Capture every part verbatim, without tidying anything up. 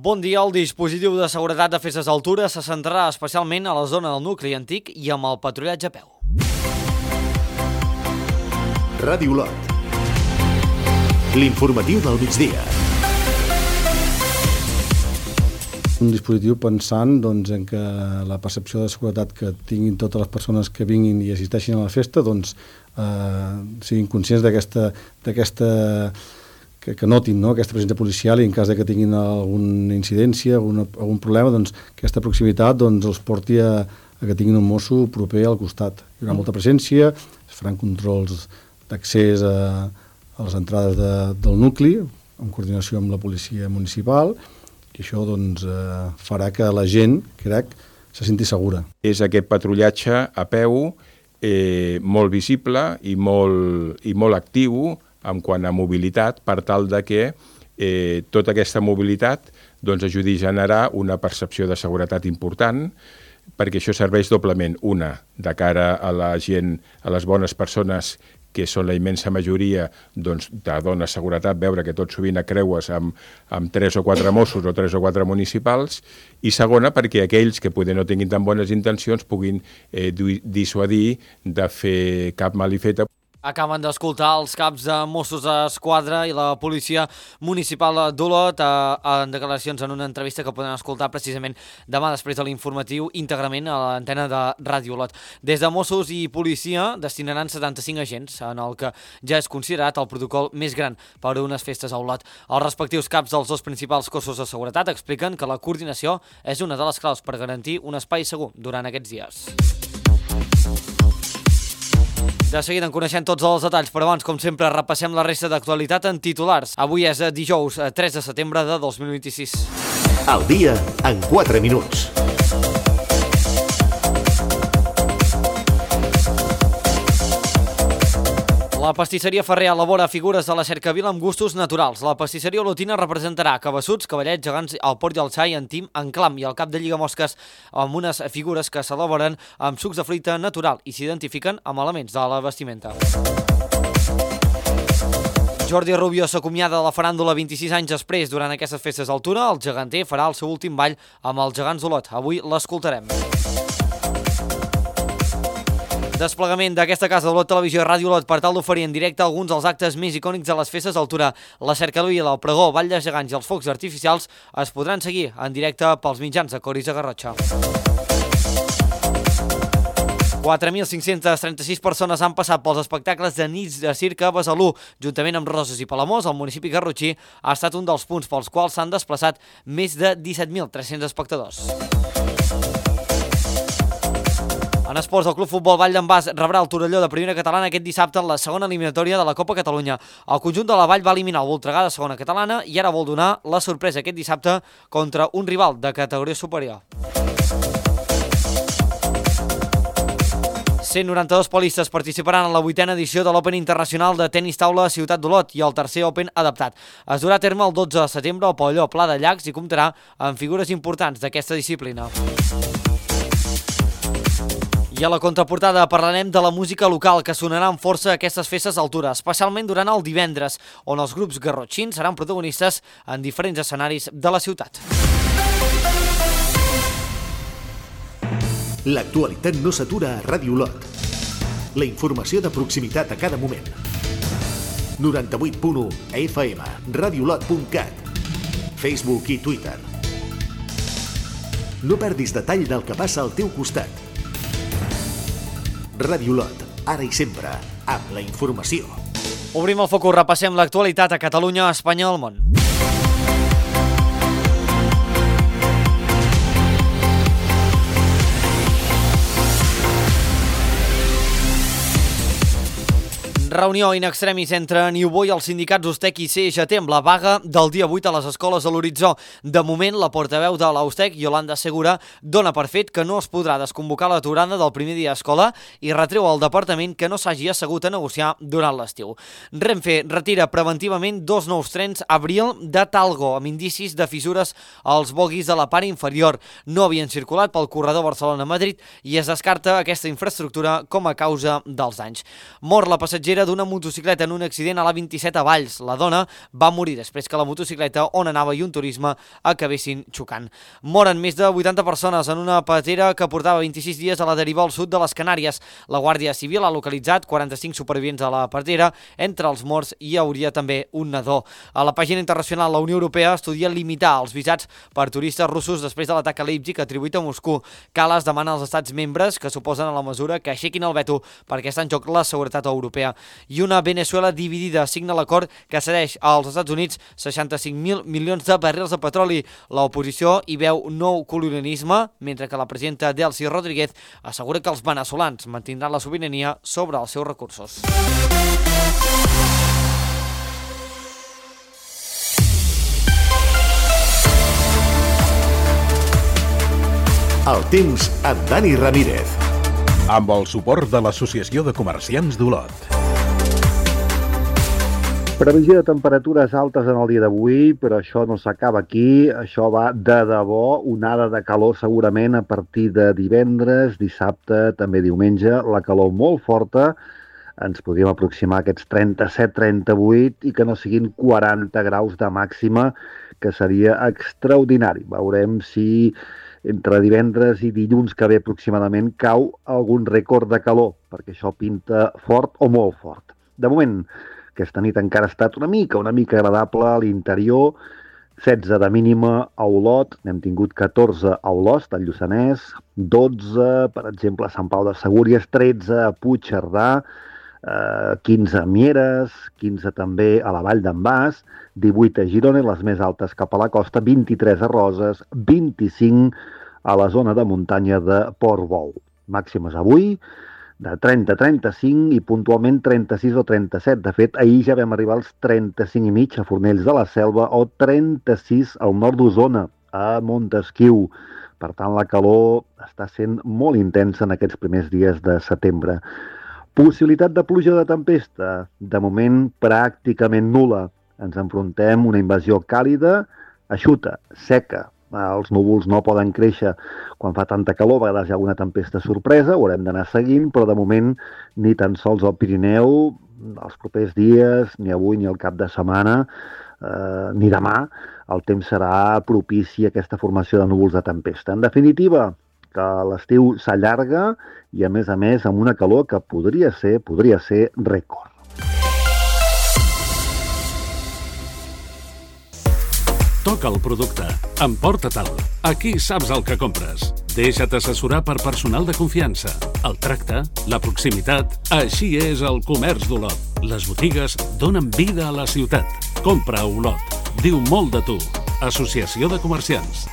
Bon dia. El dispositiu de seguretat de festes d'altura se centrarà especialment a la zona del nucli antic i amb el patrullatge a peu. Ràdio Lot. L'informatiu del migdia. Un dispositiu pensant doncs, en que la percepció de seguretat que tinguin totes les persones que vinguin i assisteixin a la festa doncs, eh, siguin conscients d'aquesta d'aquesta que, que notin, no?, aquesta presència policial i en cas de que tinguin alguna incidència, alguna, algun problema, doncs aquesta proximitat doncs, els porti a, a que tinguin un mosso proper al costat. Hi haurà molta presència, es faran controls d'accés a, a les entrades de, del nucli, en coordinació amb la policia municipal, i això doncs, eh, farà que la gent, crec, se senti segura. És aquest patrullatge a peu eh, molt visible i molt, i molt actiu en quant a mobilitat, per tal de que eh, tota aquesta mobilitat doncs, ajudi a generar una percepció de seguretat important, perquè això serveix doblement, una, de cara a la gent, a les bones persones que són la immensa majoria, doncs, te dona seguretat veure que tot sovint creues amb, amb tres o quatre Mossos o tres o quatre municipals, i segona, perquè aquells que poder no tinguin tan bones intencions puguin eh, dissuadir de fer cap malifeta. Acaben d'escoltar els caps de Mossos d'Esquadra i la policia municipal d'Olot en declaracions en una entrevista que poden escoltar precisament demà després de l'informatiu íntegrament a l'antena de Ràdio Olot. Des de Mossos i policia destinaran setanta-cinc agents, en el que ja és considerat el protocol més gran per a unes festes a Olot. Els respectius caps dels dos principals cossos de seguretat expliquen que la coordinació és una de les claus per garantir un espai segur durant aquests dies. De seguida en coneixem tots els detalls, però abans, com sempre, repassem la resta d'actualitat en titulars. Avui és dijous tres de setembre de dos mil vint-i-sis. El dia en quatre minuts. La pastisseria Ferrer elabora figures de la cercavila amb gustos naturals. La pastisseria olotina representarà cabassuts, cavallets, gegants, el port i el xai, en tim, en clam i el cap de lligamosques amb unes figures que s'elaboren amb sucs de fruita natural i s'identifiquen amb elements de la vestimenta. Jordi Rubio s'acomiada de la faràndula vint-i-sis anys després. Durant aquestes festes d'altura, el geganter farà el seu últim ball amb els gegants d'Olot. Avui l'escoltarem. Desplegament d'aquesta casa d'Olot Televisió i Ràdio Olot per tal d'oferir en directe alguns dels actes més icònics de les festes d'altura. La cercavila, el pregó, ball de gegants i els focs artificials es podran seguir en directe pels mitjans de Coris de Garrotxa. quatre mil cinc-centes trenta-sis persones han passat pels espectacles de nits de circ a Besalú. Juntament amb Roses i Palamós, el municipi garrotxí ha estat un dels punts pels quals s'han desplaçat més de disset mil tres-cents espectadors. En esports, el Club Futbol Vall d'en Bas rebrà el Torelló de primera catalana aquest dissabte en la segona eliminatòria de la Copa Catalunya. El conjunt de la Vall va eliminar el Voltregà de segona catalana i ara vol donar la sorpresa aquest dissabte contra un rival de categoria superior. cent noranta-dos polistes participaran en la vuitena edició de l'Open Internacional de Tenis Taula a Ciutat d'Olot i el tercer Open adaptat. Es durà a terme el dotze de setembre al pavelló Pla de Llacs i comptarà amb figures importants d'aquesta disciplina. I a la contraportada parlarem de la música local que sonarà amb força a aquestes festes d'altura, especialment durant el divendres, on els grups garrotxins seran protagonistes en diferents escenaris de la ciutat. L'actualitat no s'atura a Ràdio Olot. La informació de proximitat a cada moment. noranta-vuit punt u F M, radiolot punt cat, Facebook i Twitter. No perdis detall del que passa al teu costat. Ràdio Olot, ara i sempre, amb la informació. Obrim el focus, repassem l'actualitat a Catalunya, Espanya i el món. Reunió in extremis entre Niubó i els sindicats Ustec i C G T amb la vaga del dia vuit a les escoles a l'horitzó. De moment, la portaveu de l'Ustec, Yolanda Segura, dona per fet que no es podrà desconvocar l'aturada del primer dia d'escola i retreu al departament que no s'hagi assegut a negociar durant l'estiu. Renfe retira preventivament dos nous trens Abril de Talgo amb indicis de fissures als boguis de la part inferior. No havien circulat pel corredor Barcelona-Madrid i es descarta aquesta infraestructura com a causa dels danys. Mor la passatgera d'una d'una motocicleta en un accident a l'A vint-i-set a Valls. La dona va morir després que la motocicleta on anava i un turisme acabessin xocant. Moren més de vuitanta persones en una patera que portava vint-i-sis dies a la deriva al sud de les Canàries. La Guàrdia Civil ha localitzat quaranta-cinc supervivents a la patera. Entre els morts hi hauria també un nadó. A la pàgina internacional, la Unió Europea estudia limitar els visats per turistes russos després de l'atac a Leipzig atribuït a Moscou. Kallas demana als estats membres que s'oposen a la mesura que aixequin el veto perquè està en joc la seguretat europea. I una Venezuela dividida signa l'acord que cedeix als Estats Units seixanta-cinc mil milions de barrils de petroli. L'oposició hi veu nou colonialisme, mentre que la presidenta Delcy Rodríguez assegura que els venezolans mantindran la sobirania sobre els seus recursos. El temps amb Dani Ramírez. Amb el suport de l'Associació de Comerciants d'Olot. Previsió de temperatures altes en el dia d'avui, però això no s'acaba aquí. Això va de debò, onada de calor segurament a partir de divendres, dissabte, també diumenge. La calor molt forta, ens podríem aproximar a aquests trenta-set trenta-vuit i que no siguin quaranta graus de màxima, que seria extraordinari. Veurem si entre divendres i dilluns que ve aproximadament cau algun rècord de calor, perquè això pinta fort o molt fort. De moment, aquesta nit encara ha estat una mica, una mica agradable a l'interior, setze de mínima a Olot, n'hem tingut catorze a Olost, al Lluçanès, dotze, per exemple, a Sant Pau de Segúries, tretze a Puigcerdà, eh, quinze a Mieres, quinze també a la Vall d'en Bas, divuit a Girona, les més altes cap a la costa, vint-i-tres a Roses, vint-i-cinc a la zona de muntanya de Portbou. Màximes avui de trenta a trenta-cinc i puntualment trenta-sis o trenta-set. De fet, ahir ja vam arribar als trenta-cinc i mig a Fornells de la Selva o trenta-sis al nord d'Osona, a Montesquiu. Per tant, la calor està sent molt intensa en aquests primers dies de setembre. Possibilitat de pluja de tempesta, de moment pràcticament nul·la. Ens enfrontem a una invasió càlida, eixuta, seca. Els núvols no poden créixer quan fa tanta calor, a vegades hi ha alguna tempesta sorpresa, ho haurem d'anar seguint, però de moment ni tan sols al Pirineu, els propers dies, ni avui ni al cap de setmana, eh, ni demà, el temps serà propici a aquesta formació de núvols de tempesta. En definitiva, que l'estiu s'allarga i, a més a més, amb una calor que podria ser, podria ser rècord. Toca el producte. Emporta-te'l. Aquí saps el que compres. Deixa't assessorar per personal de confiança. El tracte, la proximitat... Així és el comerç d'Olot. Les botigues donen vida a la ciutat. Compra a Olot. Diu molt de tu. Associació de Comerciants.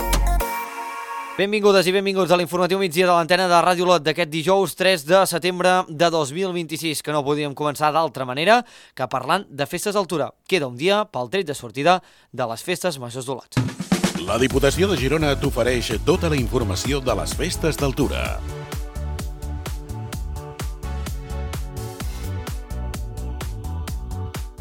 Benvingudes i benvinguts a l'informatiu migdia de l'antena de Ràdio Olot d'aquest dijous tres de setembre de dos mil vint-i-sis, que no podíem començar d'altra manera que parlant de festes d'altura. Queda un dia pel tret de sortida de les festes majors d'Olot. La Diputació de Girona t'ofereix tota la informació de les festes d'altura.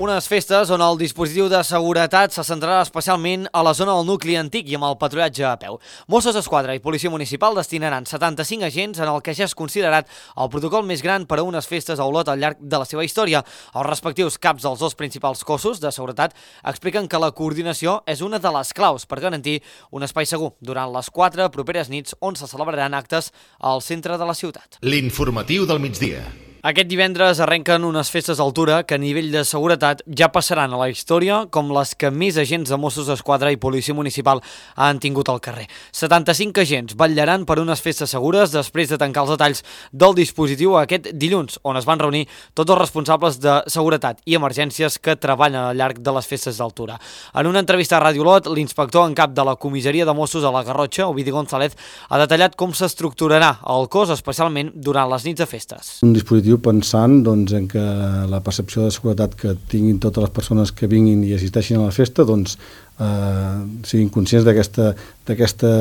Unes festes on el dispositiu de seguretat se centrarà especialment a la zona del nucli antic i amb el patrullatge a peu. Mossos d'Esquadra i Policia Municipal destinaran setanta-cinc agents en el que ja és considerat el protocol més gran per a unes festes a Olot al llarg de la seva història. Els respectius caps dels dos principals cossos de seguretat expliquen que la coordinació és una de les claus per garantir un espai segur durant les quatre properes nits on se celebraran actes al centre de la ciutat. L'informatiu del migdia. Aquest divendres arrenquen unes festes d'altura que a nivell de seguretat ja passaran a la història com les que més agents de Mossos d'Esquadra i Policia Municipal han tingut al carrer. setanta-cinc agents vetllaran per unes festes segures després de tancar els detalls del dispositiu aquest dilluns, on es van reunir tots els responsables de seguretat i emergències que treballen al llarg de les festes d'altura. En una entrevista a Ràdio Olot, l'inspector en cap de la comissaria de Mossos a la Garrotxa, Ovidi González, ha detallat com s'estructurarà el cos, especialment durant les nits de festes. Un dispositiu pensant doncs, en que la percepció de seguretat que tinguin totes les persones que vinguin i assisteixin a la festa doncs, eh, siguin conscients d'aquesta, d'aquesta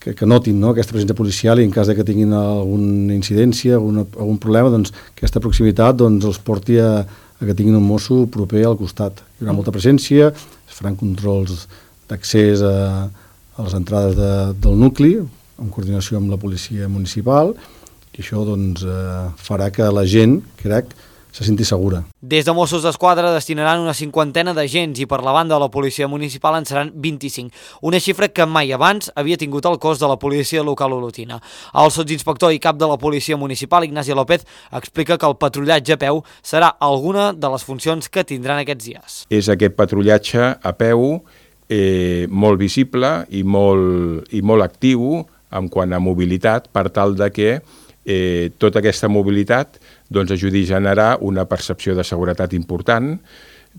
que, que notin, no?, aquesta presència policial i en cas de que tinguin alguna incidència, alguna, algun problema, doncs, aquesta proximitat doncs, els porti a, a que tinguin un mosso proper al costat. Hi haurà molta presència, es faran controls d'accés a, a les entrades de, del nucli, en coordinació amb la policia municipal, i això doncs, eh, farà que la gent, crec, se senti segura. Des de Mossos d'Esquadra destinaran una cinquantena d'agents i per la banda de la policia municipal en seran vint-i-cinc, una xifra que mai abans havia tingut el cos de la policia local olotina. El sotsinspector i cap de la policia municipal, Ignasi López, explica que el patrullatge a peu serà alguna de les funcions que tindran aquests dies. És aquest patrullatge a peu eh, molt visible i molt, i molt actiu en quant a mobilitat, per tal de que eh, tota aquesta mobilitat doncs, ajudi a generar una percepció de seguretat important,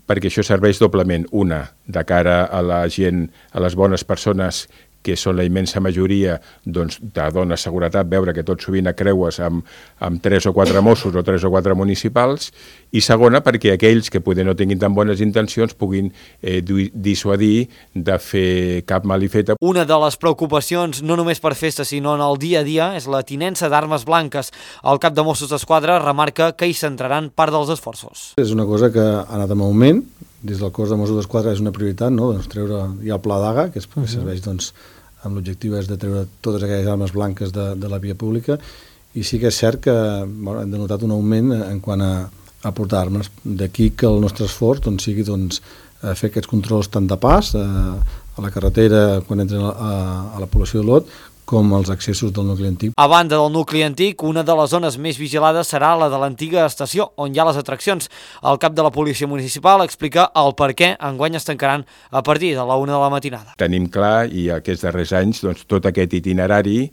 perquè això serveix doblement, una, de cara a la gent, a les bones persones que són la immensa majoria, doncs, te dona seguretat veure que tot sovint creues amb, amb tres o quatre Mossos o tres o quatre municipals, i segona, perquè aquells que poder no tinguin tan bones intencions puguin eh, dissuadir de fer cap malifeta. Una de les preocupacions, no només per festes, sinó en el dia a dia, és la tinença d'armes blanques. El cap de Mossos d'Esquadra remarca que hi centraran part dels esforços. És una cosa que ha anat en augment. Des del cos de Mossos d'Esquadra és una prioritat, no? Doncs treure ja el pla d'A G A, que, és, que serveix doncs, amb l'objectiu és de treure totes aquelles armes blanques de, de la via pública, i sí que és cert que bueno, hem denotat un augment en quant a, a portar armes. D'aquí que el nostre esforç doncs, sigui doncs, fer aquests controls tant de pas a, a la carretera quan entren a, a, a la població d'Olot, com els accessos del nucli antic. A banda del nucli antic, una de les zones més vigilades serà la de l'antiga estació, on hi ha les atraccions. El cap de la policia municipal explica el per què enguany es tancaran a partir de la una de la matinada. Tenim clar, i aquests darrers anys, doncs, tot aquest itinerari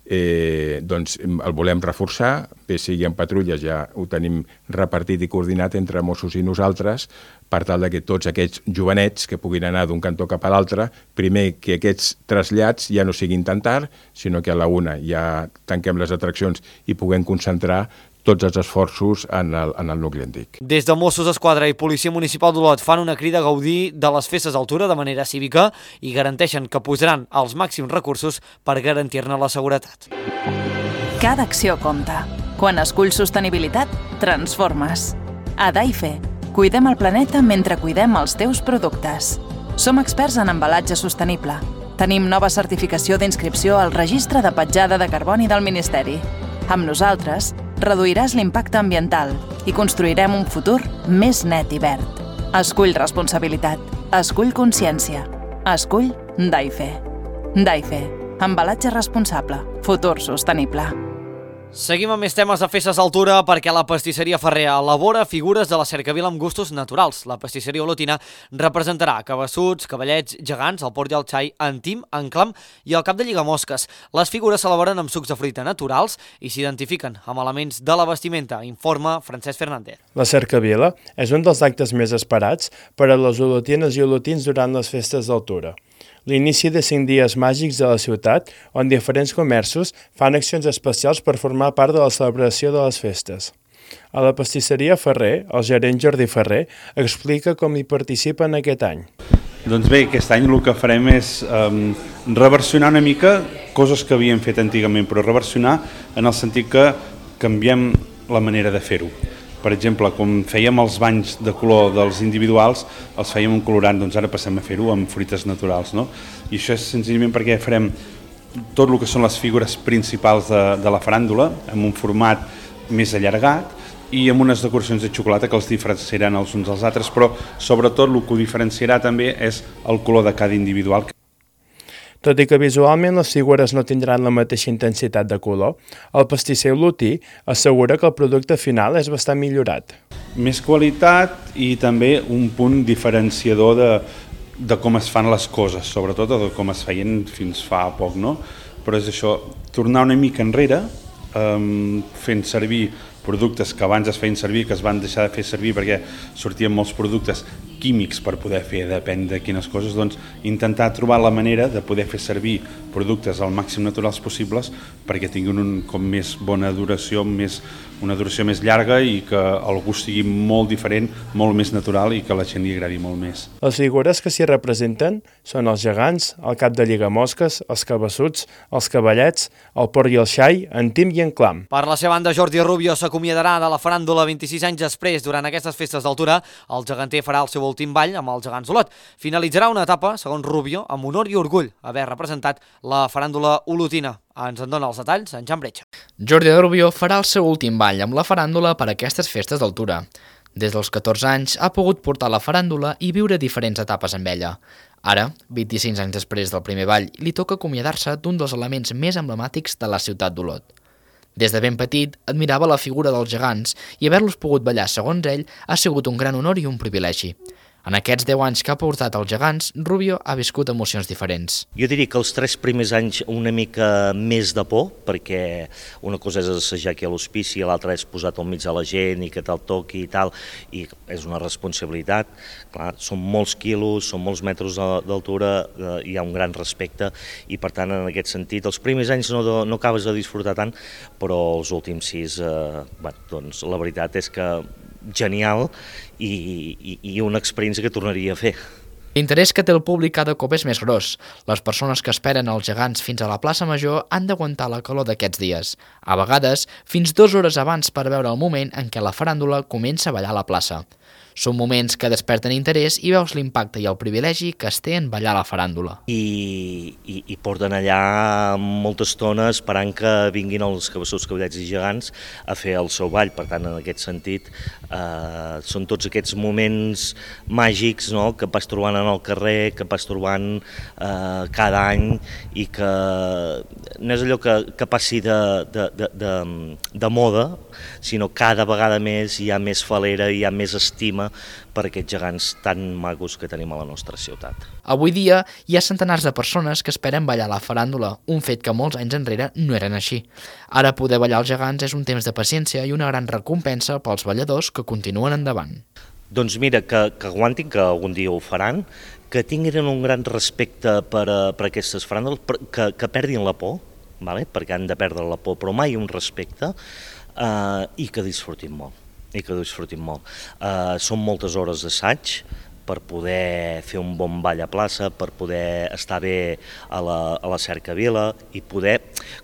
eh, doncs, el volem reforçar, bé sigui en patrulles, ja ho tenim repartit i coordinat entre Mossos i nosaltres, per tal que tots aquests jovenets que puguin anar d'un cantó cap a l'altre, primer que aquests trasllats ja no siguin tan tard, sinó que a la una ja tanquem les atraccions i puguem concentrar tots els esforços en el, en el nucli antic. Des de Mossos d'Esquadra i Policia Municipal d'Olot fan una crida a gaudir de les festes d'altura de manera cívica i garanteixen que posaran els màxims recursos per garantir-ne la seguretat. Cada acció compta. Quan esculls sostenibilitat, transformes. A Daife, cuidem el planeta mentre cuidem els teus productes. Som experts en embalatge sostenible. Tenim nova certificació d'inscripció al Registre de Petjada de Carboni del Ministeri. Amb nosaltres, reduiràs l'impacte ambiental i construirem un futur més net i verd. Escull responsabilitat. Escull consciència. Escull Daife. Daife. Embalatge responsable. Futur sostenible. Seguim amb més temes de festes d'altura perquè la pastisseria Ferrer elabora figures de la cercavila amb gustos naturals. La pastisseria olotina representarà cabassuts, cavallets, gegants, el port i el xai, entim, enclam i el cap de lligamosques. Les figures s'elaboren amb sucs de fruita naturals i s'identifiquen amb elements de la vestimenta, informa Francesc Fernández. La cercavila és un dels actes més esperats per a les olotines i olotins durant les festes d'altura. L'inici de cinc dies màgics de la ciutat, on diferents comerços fan accions especials per formar part de la celebració de les festes. A la pastisseria Ferrer, el gerent Jordi Ferrer explica com hi participen aquest any. Doncs bé, aquest any el que farem és um, reversionar una mica coses que havíem fet antigament, però reversionar en el sentit que canviem la manera de fer-ho. Per exemple, com fèiem els banys de color dels individuals, els fèiem un colorant, doncs ara passem a fer-ho amb fruites naturals, no? I això és senzillament perquè farem tot el que són les figures principals de, de la faràndula, amb un format més allargat i amb unes decoracions de xocolata que els diferenciaran els uns als altres, però sobretot el que ho diferenciarà també és el color de cada individual. Tot i que visualment les figures no tindran la mateixa intensitat de color, el pastisser olotí assegura que el producte final és bastant millorat. Més qualitat i també un punt diferenciador de, de com es fan les coses, sobretot de com es feien fins fa poc, no? Però és això, tornar una mica enrere, um, fent servir productes que abans es feien servir, que es van deixar de fer servir perquè sortien molts productes químics per poder fer, depèn de quines coses, doncs intentar trobar la manera de poder fer servir productes al màxim naturals possibles perquè tinguin un, com més bona duració, més, una duració més llarga i que el gust sigui molt diferent, molt més natural i que a la gent li agradi molt més. Les figures que s'hi representen són els gegants, el cap de lligamosques, els cabassuts, els cavallets, el port i el xai, entim i enclam. Per la seva banda, Jordi Rubio s'acomiadarà de la faràndula vint-i-sis anys després. Durant aquestes festes d'altura, el geganter farà el seu l'últim ball amb els gegants d'Olot. Finalitzarà una etapa, segons Rubio, amb honor i orgull haver representat la faràndula olotina. Ens en dona els detalls en Jan Bretxa. Jordi de Rubio farà el seu últim ball amb la faràndula per a aquestes festes d'altura. Des dels catorze anys ha pogut portar la faràndula i viure diferents etapes amb ella. Ara, vint-i-cinc anys després del primer ball, li toca acomiadar-se d'un dels elements més emblemàtics de la ciutat d'Olot. Des de ben petit, admirava la figura dels gegants i haver-los pogut ballar, segons ell, ha sigut un gran honor i un privilegi. En aquests deu anys que ha portat els gegants, Rubio ha viscut emocions diferents. Jo diria que els tres primers anys una mica més de por, perquè una cosa és assajar aquí a l'hospici, l'altra és posar-te al mig de la gent i que te'l toqui i tal, i és una responsabilitat. Clar, són molts quilos, són molts metres d'altura, hi ha un gran respecte i per tant en aquest sentit els primers anys no, no acabes de disfrutar tant, però els últims sis, eh, bé, doncs la veritat és que genial i, i, i una experiència que tornaria a fer. L'interès que té el públic cada cop és més gros. Les persones que esperen els gegants fins a la plaça Major han d'aguantar la calor d'aquests dies. A vegades, fins dues hores abans per veure el moment en què la faràndula comença a ballar a la plaça. Són moments que desperten interès i veus l'impacte i el privilegi que es té en ballar la faràndula. I, i, i porten allà molta estona esperant que vinguin els cabeçuts, cabellets i gegants a fer el seu ball. Per tant, en aquest sentit, eh, són tots aquests moments màgics, no?, que vas trobant en el carrer, que vas trobant eh, cada any i que no és allò que, que passi de, de, de, de, de moda, sinó cada vegada més hi ha més falera, hi ha més estima per aquests gegants tan macos que tenim a la nostra ciutat. Avui dia hi ha centenars de persones que esperen ballar la faràndula, un fet que molts anys enrere no eren així. Ara poder ballar els gegants és un temps de paciència i una gran recompensa pels balladors que continuen endavant. Doncs mira, que, que aguantin, que algun dia ho faran, que tinguin un gran respecte per, a, per aquestes faràndules, que, que perdin la por, vale? Perquè han de perdre la por, però mai un respecte, eh, i que disfrutin molt. i que disfrutin molt. Uh, són moltes hores d'assaig per poder fer un bon ball a plaça, per poder estar bé a la, a la cercavila i poder,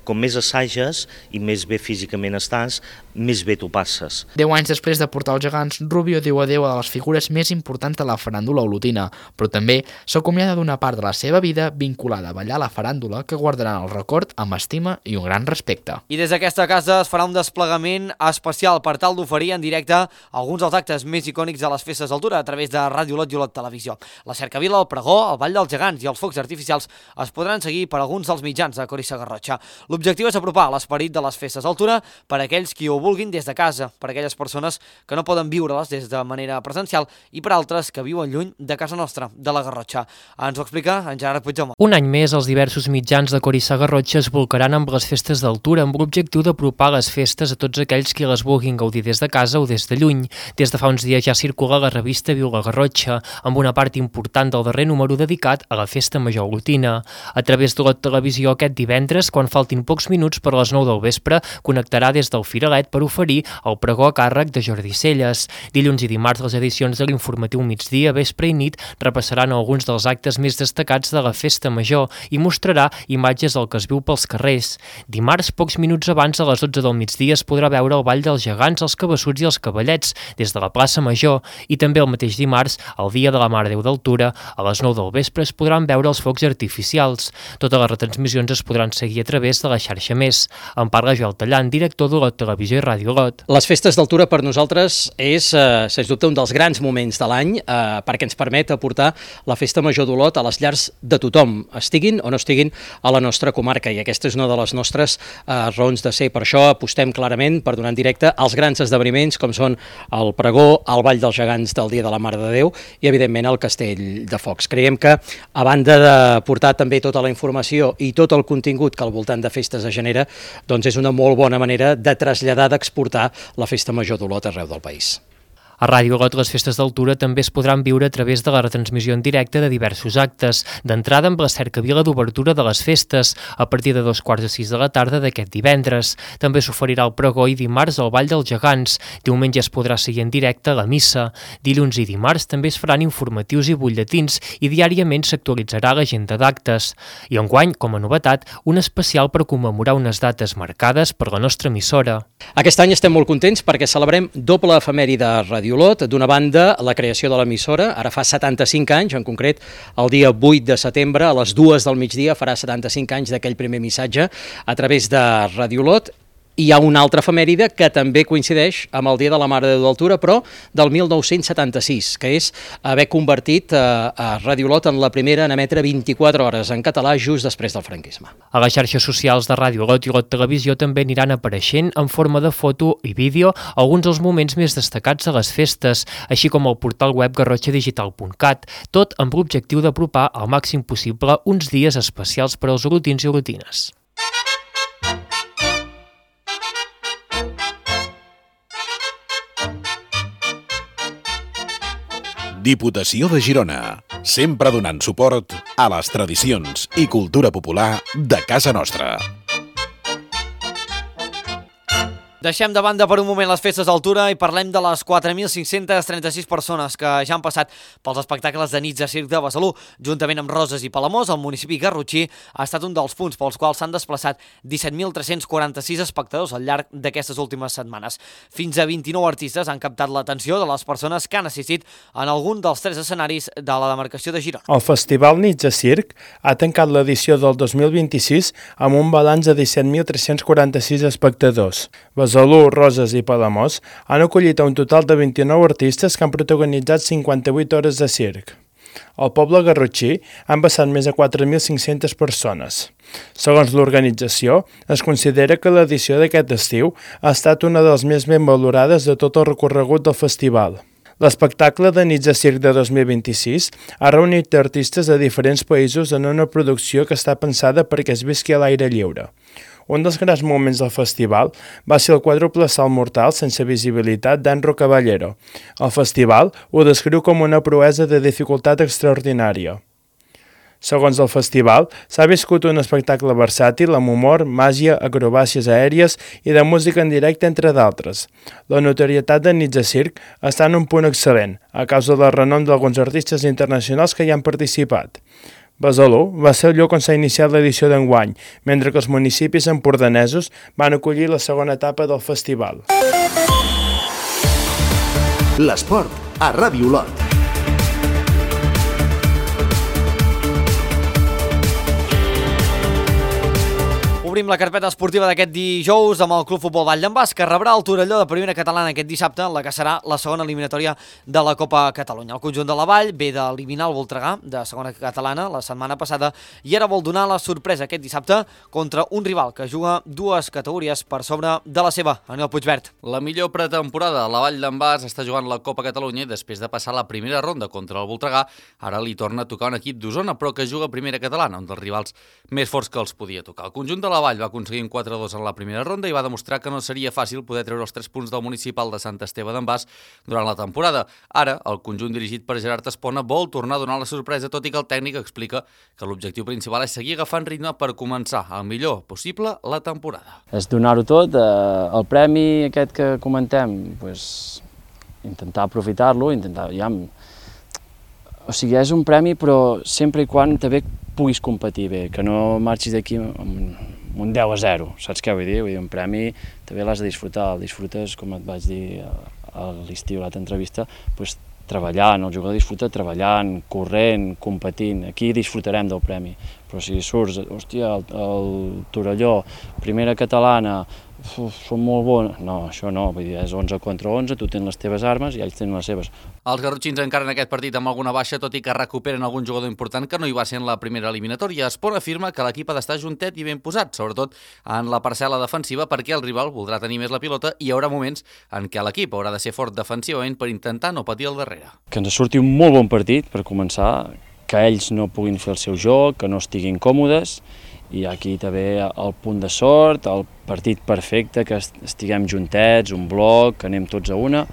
com més assages i més bé físicament estàs, més bé t'ho passes. Deu anys després de portar els gegants, Rubio diu adéu a les figures més importants de la faràndula olotina, però també s'acomiada d'una part de la seva vida vinculada a ballar la faràndula que guardaran el record amb estima i un gran respecte. I des d'aquesta casa es farà un desplegament especial per tal d'oferir en directe alguns dels actes més icònics de les festes d'altura a través de Ràdio Olot i Olot Televisió. La cercavila, el pregó, el ball dels gegants i els focs artificials es podran seguir per alguns dels mitjans de Cori Sagarrotxa. L'objectiu és apropar l'esperit de les festes d'altura per a aquells qui ho vulguin des de casa, per a aquelles persones que no poden viure-les des de manera presencial i per altres que viuen lluny de casa nostra, de la Garrotxa. Ens ho explica en Gerard Puigdemont. Un any més, els diversos mitjans de Cori Sagarrotxa es volcaran amb les festes d'altura amb l'objectiu d'apropar les festes a tots aquells qui les vulguin gaudir des de casa o des de lluny. Des de fa uns dies ja circula la revista Viu la Garrotxa, amb una part important del darrer número dedicat a la Festa Major Olotina. A través de la televisió aquest divendres, quan faltin pocs minuts per les nou del vespre, connectarà des del Firalet per oferir el pregó a càrrec de Jordi Celles. Dilluns i dimarts les edicions de l'informatiu migdia, vespre i nit repassaran alguns dels actes més destacats de la Festa Major i mostrarà imatges del que es viu pels carrers. Dimarts, pocs minuts abans, a les dotze del migdia, es podrà veure el ball dels gegants, els cabeçuts i els cavallets des de la plaça Major i també el mateix dimarts, el dia de la Mare Déu d'Altura, a les nou del vespre es podran veure els focs artificials. Totes les retransmissions es podran seguir a través de la xarxa Més. En parla Joel Tallant, director de la Televisió i Ràdio Olot. Les festes d'altura per nosaltres és, eh, sens dubte, un dels grans moments de l'any eh, perquè ens permet aportar la Festa Major d'Olot a les llars de tothom, estiguin o no estiguin a la nostra comarca, i aquesta és una de les nostres eh, raons de ser. Per això apostem clarament per donar en directe els grans esdeveniments com són el pregó, el ball dels gegants del Dia de la Mare de Déu i, evidentment, el Castell de Focs. Creiem que, a banda de portar també tota la informació i tot el contingut que al voltant de festes es genera, doncs és una molt bona manera de traslladar, d'exportar la Festa Major d'Olot arreu del país. A Ràdio Olot les festes d'altura també es podran viure a través de la retransmissió en directe de diversos actes, d'entrada amb la cercavila d'obertura de les festes, a partir de dos quarts de sis de la tarda d'aquest divendres. També s'oferirà el pregó i dimarts el ball dels gegants. Diumenge es podrà seguir en directe la missa. Dilluns i dimarts també es faran informatius i butlletins i diàriament s'actualitzarà l'agenda d'actes. I enguany, com a novetat, un especial per commemorar unes dates marcades per la nostra emissora. Aquest any estem molt contents perquè celebrem doble efemèride de Ràdio Ràdio Olot. D'una banda, la creació de l'emissora, ara fa setanta-cinc anys, en concret, el dia vuit de setembre, a les dues del migdia, farà setanta-cinc anys d'aquell primer missatge a través de Ràdio Olot. Hi ha una altra efemèride que també coincideix amb el Dia de la Mare de Déu d'Altura, però del mil nou-cents setanta-sis, que és haver convertit a, a Ràdio Olot en la primera en emetre vint-i-quatre hores en català just després del franquisme. A les xarxes socials de Ràdio Olot i Olot Televisió també aniran apareixent en forma de foto i vídeo alguns dels moments més destacats a les festes, així com el portal web garrotxa digital punt cat, tot amb l'objectiu d'apropar al màxim possible uns dies especials per als olotins i olotines. Diputació de Girona, sempre donant suport a les tradicions i cultura popular de casa nostra. Deixem de banda per un moment les festes d'altura i parlem de les quatre mil cinc-centes trenta-sis persones que ja han passat pels espectacles de nits de circ de Besalú. Juntament amb Roses i Palamós, el municipi garrotxí ha estat un dels punts pels quals s'han desplaçat disset mil tres-cents quaranta-sis espectadors al llarg d'aquestes últimes setmanes. Fins a vint-i-nou artistes han captat l'atenció de les persones que han assistit en algun dels tres escenaris de la demarcació de Girona. El Festival Nits de Circ ha tancat l'edició del dos mil vint-i-sis amb un balanç de disset mil tres-cents quaranta-sis espectadors. Besalú, Roses i Palamós han acollit a un total de vint-i-nou artistes que han protagonitzat cinquanta-vuit hores de circ. Al poble garrotxí han passat més de quatre mil cinc-centes persones. Segons l'organització, es considera que l'edició d'aquest estiu ha estat una de les més ben valorades de tot el recorregut del festival. L'espectacle de Nits de Circ de dos mil vint-i-sis ha reunit artistes de diferents països en una producció que està pensada perquè es visqui a l'aire lliure. Un dels grans moments del festival va ser el quàdruple salt mortal sense visibilitat d'Anro Caballero. El festival ho descriu com una proesa de dificultat extraordinària. Segons el festival, s'ha viscut un espectacle versàtil amb humor, màgia, acrobàcies aèries i de música en directe, entre d'altres. La notorietat de Nits de Circ està en un punt excel·lent, a causa del renom d'alguns artistes internacionals que hi han participat. Besalú va ser el lloc on s'ha iniciat l'edició d'enguany, mentre que els municipis empordanesos van acollir la segona etapa del festival. L'esport a Ràdio Olot. Obrim la carpeta esportiva d'aquest dijous amb el Club Futbol Vall d'en Bas, que rebrà el Torelló de primera catalana aquest dissabte, en la que serà la segona eliminatòria de la Copa Catalunya. El conjunt de la Vall ve d'eliminar el Voltregà de segona catalana la setmana passada i ara vol donar la sorpresa aquest dissabte contra un rival que juga dues categories per sobre de la seva, Anel Puigvert. La millor pretemporada, la Vall d'en Bas està jugant la Copa Catalunya i després de passar la primera ronda contra el Voltregà, ara li torna a tocar un equip d'Osona, però que juga primera catalana, un dels rivals més forts que els podia tocar. El conjunt de la Vall va aconseguir un quatre a dos en la primera ronda i va demostrar que no seria fàcil poder treure els tres punts del municipal de Sant Esteve d'en Bas durant la temporada. Ara, el conjunt dirigit per Gerard Espona vol tornar a donar la sorpresa, tot i que el tècnic explica que l'objectiu principal és seguir agafant ritme per començar el millor possible la temporada. És donar-ho tot, eh, el premi aquest que comentem, pues, intentar aprofitar-lo, intentar... Ja, o sigui, és un premi, però sempre i quan també puguis competir bé, que no marxis d'aquí amb un deu a zero, saps què vull dir? Vull dir, un premi també l'has de disfrutar, el disfrutes, com et vaig dir a l'estiu a l'altra entrevista, doncs treballant, el jugador disfruta treballant, corrent, competint, aquí disfrutarem del premi, però si surts, hòstia, el, el Torelló, primera catalana, uf, són molt bons, no, això no, vull dir, és onze contra onze, tu tens les teves armes i ells tenen les seves. Els garrotxins encara en aquest partit amb alguna baixa, tot i que recuperen algun jugador important que no hi va ser en la primera eliminatòria. Espona afirma que l'equip ha d'estar juntet i ben posat, sobretot en la parcel·la defensiva, perquè el rival voldrà tenir més la pilota i hi haurà moments en què l'equip haurà de ser fort defensivament per intentar no patir al darrere. Que ens surti un molt bon partit, per començar, que ells no puguin fer el seu joc, que no estiguin còmodes, i aquí també el punt de sort, el partit perfecte, que estiguem juntets, un bloc, que anem tots a una,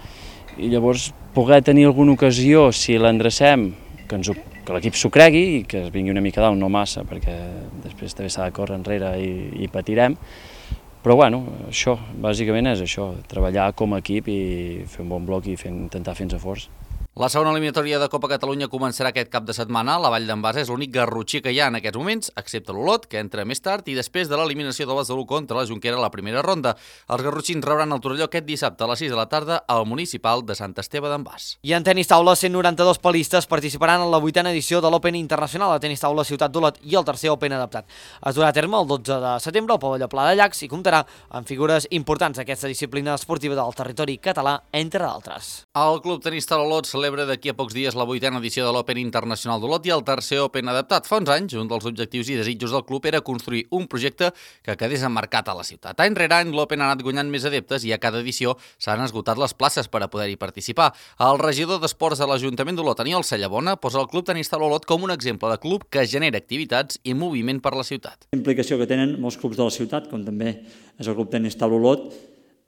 i llavors poder tenir alguna ocasió, si l'endrecem, que, ens, que l'equip s'ho cregui i que es vingui una mica dalt, no massa, perquè després també s'ha de córrer enrere i, i patirem, però bueno, això, bàsicament és això, treballar com a equip i fer un bon bloc i fer, intentar fer-nos forts. La segona eliminatòria de Copa Catalunya començarà aquest cap de setmana. La Vall d'en Bas és l'únic garrotxí que hi ha en aquests moments, excepte l'Olot, que entra més tard, i després de l'eliminació del Besalú contra la Jonquera a la primera ronda. Els garrotxins rebran el Torelló aquest dissabte a les sis de la tarda al municipal de Sant Esteve d'en Bas. I en tenis taula, cent noranta-dos palistes participaran en la vuitena edició de l'Open Internacional de Tenis Taula Ciutat d'Olot i el tercer Open adaptat. Es durà a terme el dotze de setembre al pavelló Pla de Llacs i comptarà amb figures importants d'aquesta disciplina esportiva del territori català, entre d'altres. El Club Tenis Taula Olot celebra d'aquí a pocs dies la vuitena edició de l'Open Internacional d'Olot i el tercer Open adaptat. Fa uns anys, un dels objectius i desitjos del club era construir un projecte que quedés emmarcat a la ciutat. Any rere any, l'Open ha anat guanyant més adeptes i a cada edició s'han esgotat les places per a poder-hi participar. El regidor d'Esports de l'Ajuntament d'Olot, Aniol Cellabona, posa el Club Tenis Taula Olot com un exemple de club que genera activitats i moviment per la ciutat. La implicació que tenen molts clubs de la ciutat, com també és el Club Tenis Taula Olot,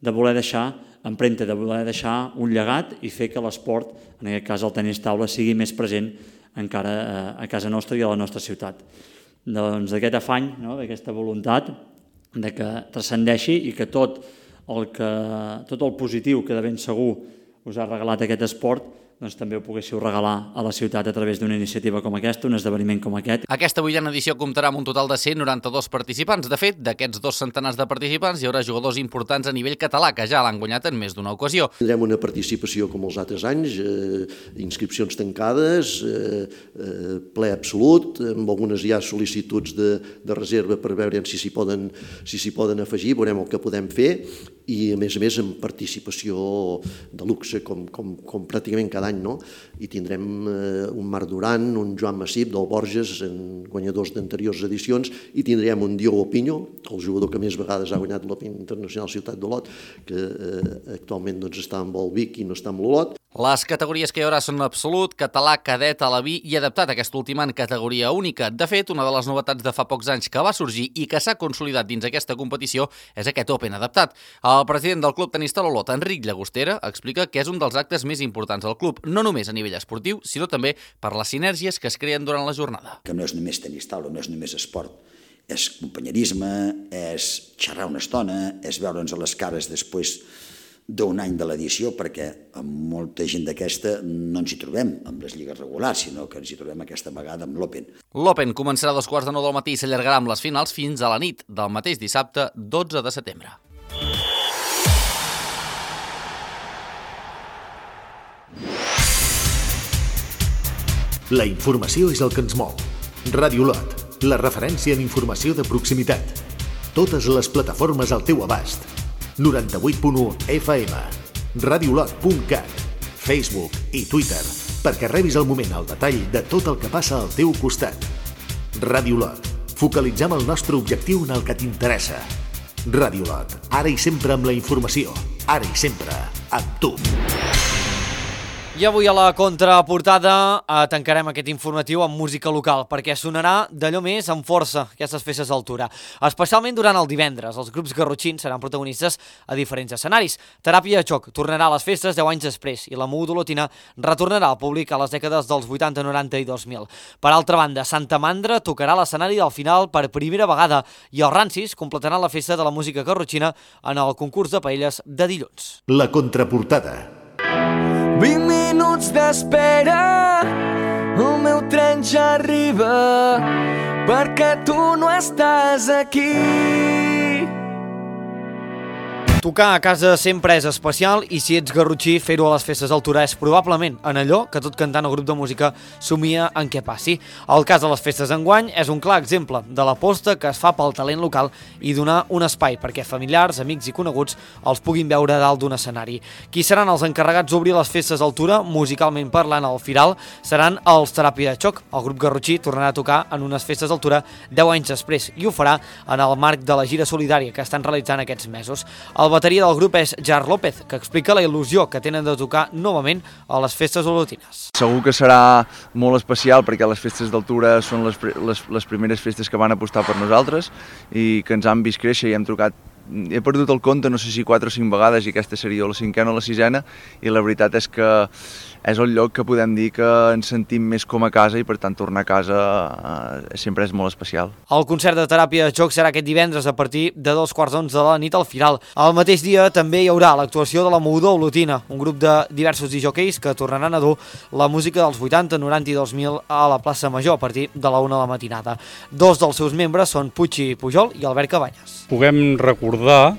de voler deixar empremta, de voler deixar un llegat i fer que l'esport, en aquest cas el tenis taula, sigui més present encara a casa nostra i a la nostra ciutat. Doncs d'aquest afany, no?, d'aquesta voluntat de que transcendeixi i que tot el, que, tot el positiu que de ben segur us ha regalat aquest esport, doncs també ho poguéssiu regalar a la ciutat a través d'una iniciativa com aquesta, un esdeveniment com aquest. Aquesta vuitena edició comptarà amb un total de cent noranta-dos participants. De fet, d'aquests dos centenars de participants hi haurà jugadors importants a nivell català que ja l'han guanyat en més d'una ocasió. Tindrem una participació com els altres anys, eh, inscripcions tancades, eh, eh, ple absolut, amb algunes ja sol·licituds de, de reserva per veure si s'hi poden, si s'hi poden afegir, veurem el que podem fer, i a més a més amb participació de luxe com, com, com pràcticament cada any, no? I tindrem eh, un Marc Duran, un Joan Massip del Borges, en guanyadors d'anteriors edicions, i tindrem un Diogo Pinho, el jugador que més vegades ha guanyat l'Open Internacional Ciutat d'Olot, que eh, actualment doncs, està amb el Vic i no està amb l'Olot. Les categories que hi haurà són absolut, català, cadet, alaví i adaptat, aquesta última en categoria única. De fet, una de les novetats de fa pocs anys que va sorgir i que s'ha consolidat dins aquesta competició és aquest Open adaptat. El president del Club Tenis Taula Olot, Enric Llagostera, explica que és un dels actes més importants del club, no només a nivell esportiu, sinó també per les sinergies que es creen durant la jornada. Que no és només tenis taula, no és només esport, és companyerisme, és xerrar una estona, és veure'ns a les cares després d'un any de l'edició, perquè amb molta gent d'aquesta no ens hi trobem amb les lligues regulars, sinó que ens hi trobem aquesta vegada amb l'Open. L'Open començarà a dos quarts de nou del matí i s'allargarà amb les finals fins a la nit del mateix dissabte, dotze de setembre. La informació és el que ens mou. Ràdio Olot, la referència en informació de proximitat. Totes les plataformes al teu abast. noranta-vuit punt u F M, radiolot punt cat, Facebook i Twitter, perquè rebis al moment el detall de tot el que passa al teu costat. Ràdio Olot, focalitzem el nostre objectiu en el que t'interessa. Ràdio Olot, ara i sempre amb la informació, ara i sempre amb tu. I avui a la contraportada eh, tancarem aquest informatiu amb música local, perquè sonarà d'allò més amb força aquestes festes d'altura. Especialment durant el divendres, els grups garrotxins seran protagonistes a diferents escenaris. Teràpia de Xoc tornarà a les festes deu anys després i la moguda olotina retornarà al públic a les dècades dels vuitanta, noranta i dos mil. Per altra banda, Santa Mandra tocarà l'escenari del final per primera vegada i els Rancis completaran la festa de la música garrotxina en el concurs de paelles de dilluns. La contraportada. vint minuts d'espera, el meu tren ja arriba, perquè tu no estàs aquí. Tocar a casa sempre és especial i si ets garrotxí, fer-ho a les festes d'altura és probablement en allò que tot cantant el grup de música somia en què passi. El cas de les festes d'enguany és un clar exemple de l'aposta que es fa pel talent local i donar un espai perquè familiars, amics i coneguts els puguin veure dalt d'un escenari. Qui seran els encarregats d'obrir les festes d'altura, musicalment parlant al Firal, seran els Teràpia de Xoc. El grup garrotxí tornarà a tocar en unes festes d'altura deu anys després i ho farà en el marc de la gira solidària que estan realitzant aquests mesos. El bateria del grup és Jar López, que explica la il·lusió que tenen de tocar novament a les festes olotines. Segur que serà molt especial perquè les festes d'altura són les, les, les primeres festes que van apostar per nosaltres i que ens han vist créixer i hem trucat. He perdut el compte, no sé si quatre o cinc vegades, i aquesta seria la cinquena o la sisena, i la veritat és que és el lloc que podem dir que ens sentim més com a casa i per tant tornar a casa eh, sempre és molt especial. El concert de Teràpia de Joc serà aquest divendres a partir de dos quarts d'onze de la nit al Firal. El mateix dia també hi haurà l'actuació de la Moguda Olotina, un grup de diversos disjòqueis que tornaran a dur la música dels vuitanta, noranta i dos mil a la plaça Major a partir de la una de la matinada. Dos dels seus membres són Puig Pujol i Albert Cabanyes. Puguem recordar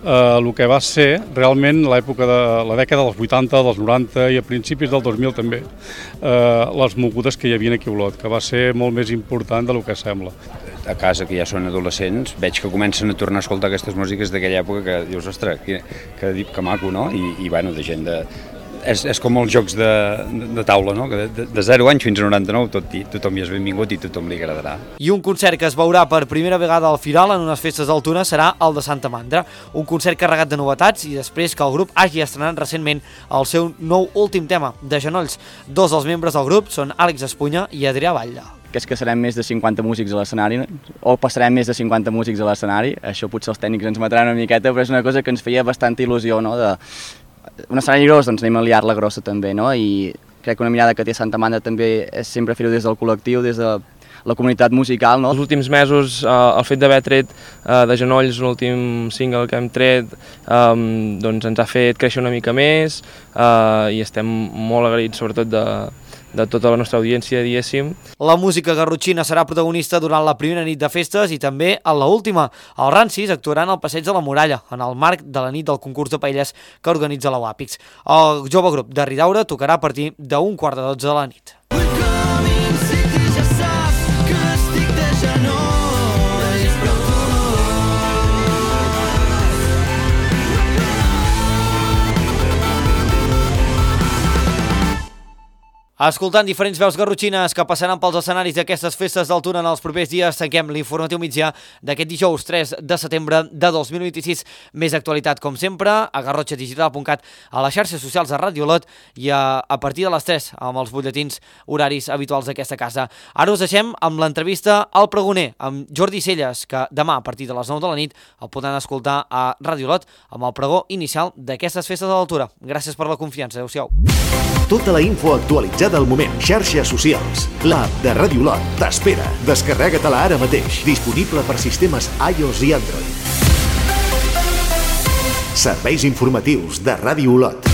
eh, el que va ser realment l'època de la dècada dels vuitanta, dels noranta i a principis del dos mil també, eh, les mogudes que hi havia aquí a Olot, que va ser molt més important del que sembla. A casa, que ja són adolescents, veig que comencen a tornar a escoltar aquestes músiques d'aquella època que dius, ostres, que, que, que maco, no? I, i bueno, de gent de... És, és com els jocs de, de taula, no? Que de, de zero anys fins a noranta-nou tot, tothom hi és benvingut i tothom li agradarà. I un concert que es veurà per primera vegada al Firal en unes festes d'Altuna serà el de Santa Mandra, un concert carregat de novetats i després que el grup hagi estrenat recentment el seu nou últim tema, De genolls. Dos dels membres del grup són Àlex Espunya i Adrià Batlle. Que és que serem més de cinquanta músics a l'escenari, o passarem més de cinquanta músics a l'escenari, això potser els tècnics ens matran una miqueta, però és una cosa que ens feia bastanta il·lusió, no?, de un escenari gros, doncs anem a liar-la grossa també, no?, i crec que una mirada que té Santa Mandra també és sempre fer-ho des del col·lectiu, des de la comunitat musical, no? Els últims mesos, eh, el fet d'haver tret eh, De genolls, l'últim single que hem tret, eh, doncs ens ha fet créixer una mica més eh, i estem molt agraïts sobretot de de tota la nostra audiència, diguéssim. La música garrotxina serà protagonista durant la primera nit de festes i també en l'última. Els Rancis actuaran al Passeig de la Muralla, en el marc de la nit del concurs de paelles que organitza la Wapix. El jove grup de Ridaura tocarà a partir d'un quart de dotze de la nit. Escoltant diferents veus garrotxines que passaran pels escenaris d'aquestes festes d'Altuna en els propers dies, tanquem l'informatiu migdia d'aquest dijous tres de setembre de dos mil vint-i-sis. Més actualitat, com sempre, a garrotxa digital punt cat, a les xarxes socials de Ràdio Olot i a, a partir de les tres amb els butlletins horaris habituals d'aquesta casa. Ara us deixem amb l'entrevista al Pregoner, amb Jordi Celles, que demà a partir de les nou de la nit el podran escoltar a Ràdio Olot amb el pregó inicial d'aquestes festes de l'Altura. Gràcies per la confiança. Adéu-siau. Tota la info actualitzada al moment. Xarxes socials. L'app de Ràdio Olot t'espera. Descarrega-te-la ara mateix. Disponible per sistemes iOS i Android. Serveis informatius de Ràdio Olot.